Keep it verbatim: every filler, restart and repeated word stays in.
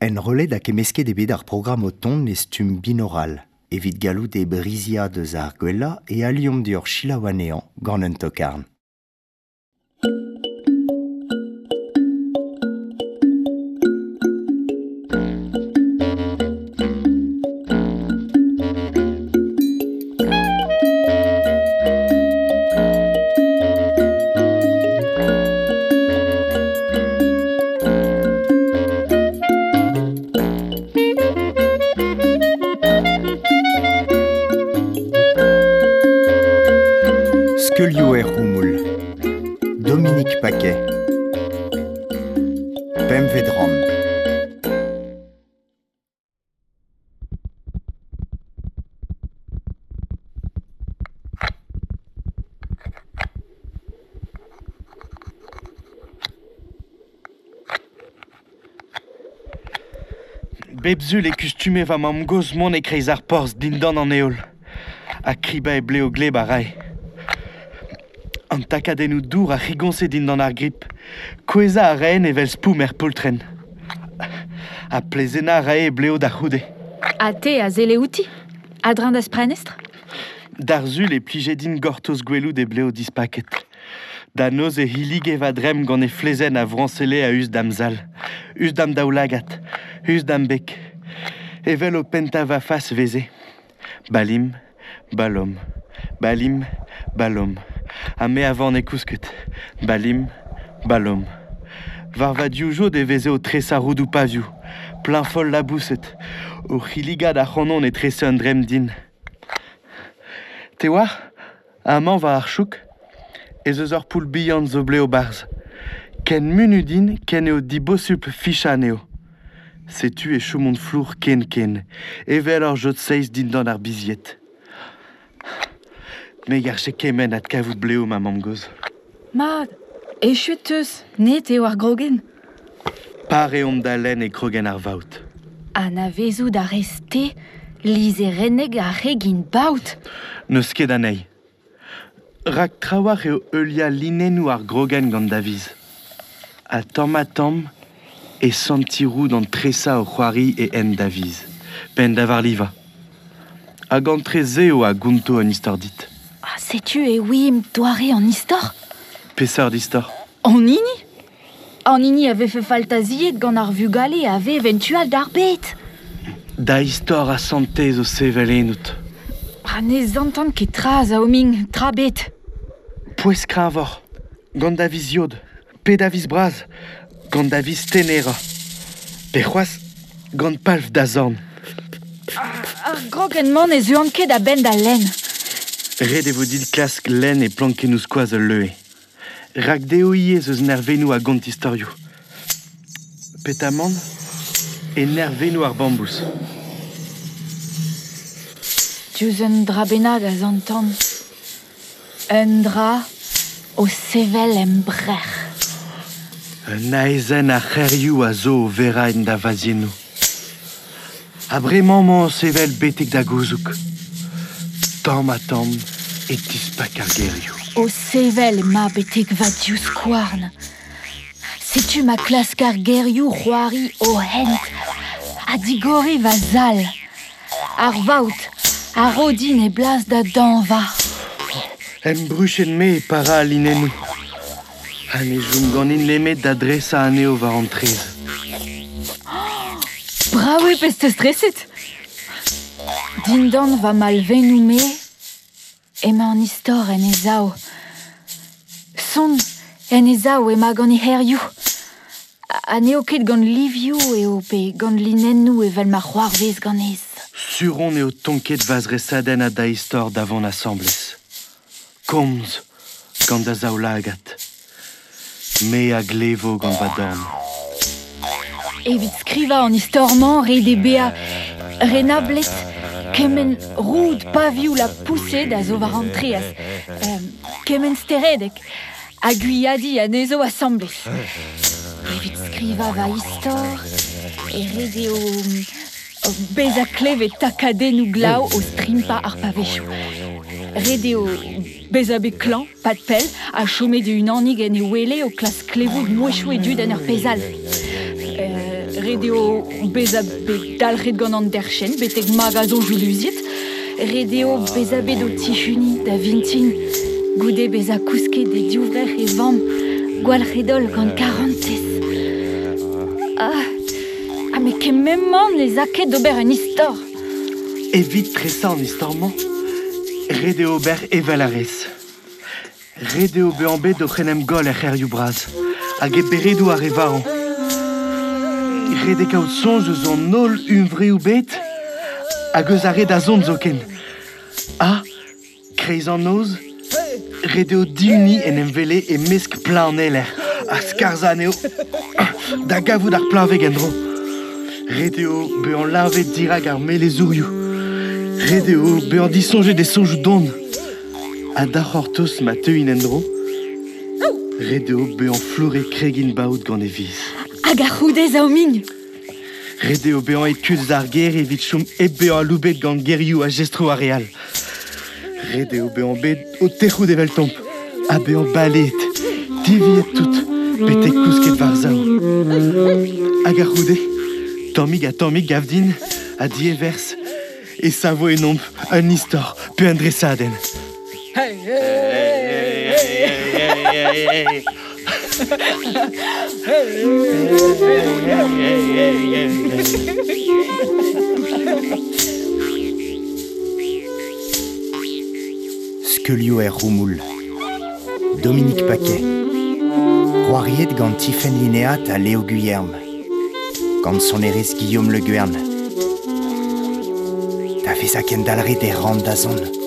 Enrollet hag kemmesket eo bet ar programm o tont e stumm binoral. Evit gallout e briziad eus ar gwellañ e aliomp deoc'h selaou anezhañ gant un tokarn. Skeulioù er c'houmoul. Dominique Paquet. Pempvet rann. Bep sul e kustume va mamm-gozh mont e-kreiz ar porzh dindan an heol. Ha kribañ e bleo gleb a rae. An takadennoù dour a c'higoñse dindan ar grip. Kouezhañ a raen evel spoum er poltrenn. Ha plezennañ a rae e bleo da c'houde. Ha te a selle outi? A-dreñv da'z prenestr? D'ar sul e plije din gortoz gwelout e bleo dispaket. Da noz e hillige va dremm gant e flezenn a vrañselle a-us da'm zal, us da'm daoulagad, us da'm beg. Evel o pentañ va fas veze. Balim, balom, balim, balom. Ha me a vane kousket. Balim, balom. War va divjod e veze o tresañ roudoù pavioù, plein-foll laboused, o c'hilligat ac'hanon e trese un dremm din. Te oar, amañ war ar chouk, ez eus ur poull bihan zo blev barzh. Ken munut int ken eo dibosupl fichañ anezho. Setu e chomont flour ken-ken, evel ur jod seiz dindan ar bizied. Me garfe kement adkavout blev ma mamm-gozh. Mat, echuet teus, net eo ar grogenn. Pare omp da lenn e krogenn ar vaot. Anavezout a rez te lizherenneg ar c'hegin baot. N'eus ket anezhi. Rak trawalc'h eo heuliañ linennoù ar grogenn gant da viz. Ha tamm-ha-tamm e santi roud an tresañ o c'hoari e hent da viz. Penn da varlivañ. Hag an tre-se eo a gonto an istor dit. Ah, setu e ouiimp doare an istor? Peseurt istor? An hini? An hini a vefe faltaziet gant ar vugale a vev en tu all d'ar bed. Da istor a santez o sevel ennout. Ha ne zantan ket tra, Zaoming, tra bet. Pouez kreñvoc'h, gant da viz yod, pe da viz bras, gant da viz tenerañ. Pe c'hoazh, gant palv da zorn. Ar grogenn-mañ ne zeuan ket a-benn da lenn. Ret e vo dit klask lenn e plankennoù skoaz ul leue. Rak dezho ivez eus nervennoù a gont istorioù. Petamant e nervennoù ar bambouz. Diouzh un dra bennak a zantan. Un dra o sevel em brec'h. Un aezhenn a c'herioù a zo o verañ da vaziennoù. Ha bremañ emañ o sevel betek da gouzoug. Tamm-ha-tamm e tispak ar gerioù. O sevel emañ betek va divskouarn. Setu ma klask ar gerioù c'hoari o hent ha digoriñ va zal. Ar vaot a ro din e blas da dañva. Em bruched-me e para al linennoù. Ha ne chom ganin nemet da dresañ anezho war an traezh. Brav eo pezh 'teus streset. Dindan va malvennoù-me emañ an istor en e sav. Son en e sav emañ gant e c'herioù. Ha n'eo ket gant livioù eo pe gant linennoù evel ma c'hoarvez ganez. Sur on eo tonket va zresadenn ha da istor da vont asambles. Komz gant da zaoulagad. Me a glevo gant va dorn. Evit skrivañ an istor-mañ ret eo bezañ renablet kement roud pavioù la poussed a zo war an traezh, euh, kement steredeg ha gwiadiñ anezho asambles. Evit skrivañ va istor e ret eo bezañ klevet takadennoù glav o strimpañ ar pavezioù. Ret eo bezañ bet klañv, pad pell, ha chomet e-unanig en e wele o klask klevout mouezhioù e dud en ur pezh all. Euh, Ret eo bezañ bet dalc'het gant an derc'henn betek magañ soñjoù luziet. Ret eo bezañ bet o tihuniñ da vintin. Goude bezañ kousket e divrec'h e vamm, gwalc'het holl gant karantez. Ah, ah met kement-mañ ne 'z a ket d'ober un istor. Evit tresañ an istor-mañ, ret eo ober evel a rez. Ret eo bezañ bet oc'h en em goll er c'hêrioù bras, hag e beredoù ar re varv. Ret eo kaout soñj eus an holl huñvreoù bet hag eus ar re da zont zoken. Ha, kreiz an noz, ret eo dihuniñ en em wele e-mesk plañ an eler ha skarzhañ anezho da gavout ar plañveg en-dro. Ret eo bezañ leñvet dirak ar melezourioù. Ret eo bezañ disoñjet e soñjoù don. Ha da c'hortoz ma teuint en-dro, ret eo bezañ flouret kregin baout gant e viz. Hag a-c'houde zaomign. Ret eo bezañ aet kuit eus ar gêr evit chom hep bezañ aloubet gant gerioù ha jestroù ar re all. Ret eo bezañ bet o tec'hout eveltomp, ha bezañ baleet, diviet tout, betek kousket war-sav. Hag a-c'houde, tammig ha tammig gav din, ha dieverzh, e savo ennomp un istor pe un dresadenn. Hey, hey, hey, hey, hey. Skeulioù er c'houmoul. Dominique Paquet. C'hoariet gant Tifenn Linéat ha Léo Guyerme. Gant sonerezh Guillaume Le Guern. Da vezañ kendalc'het e ran da zont.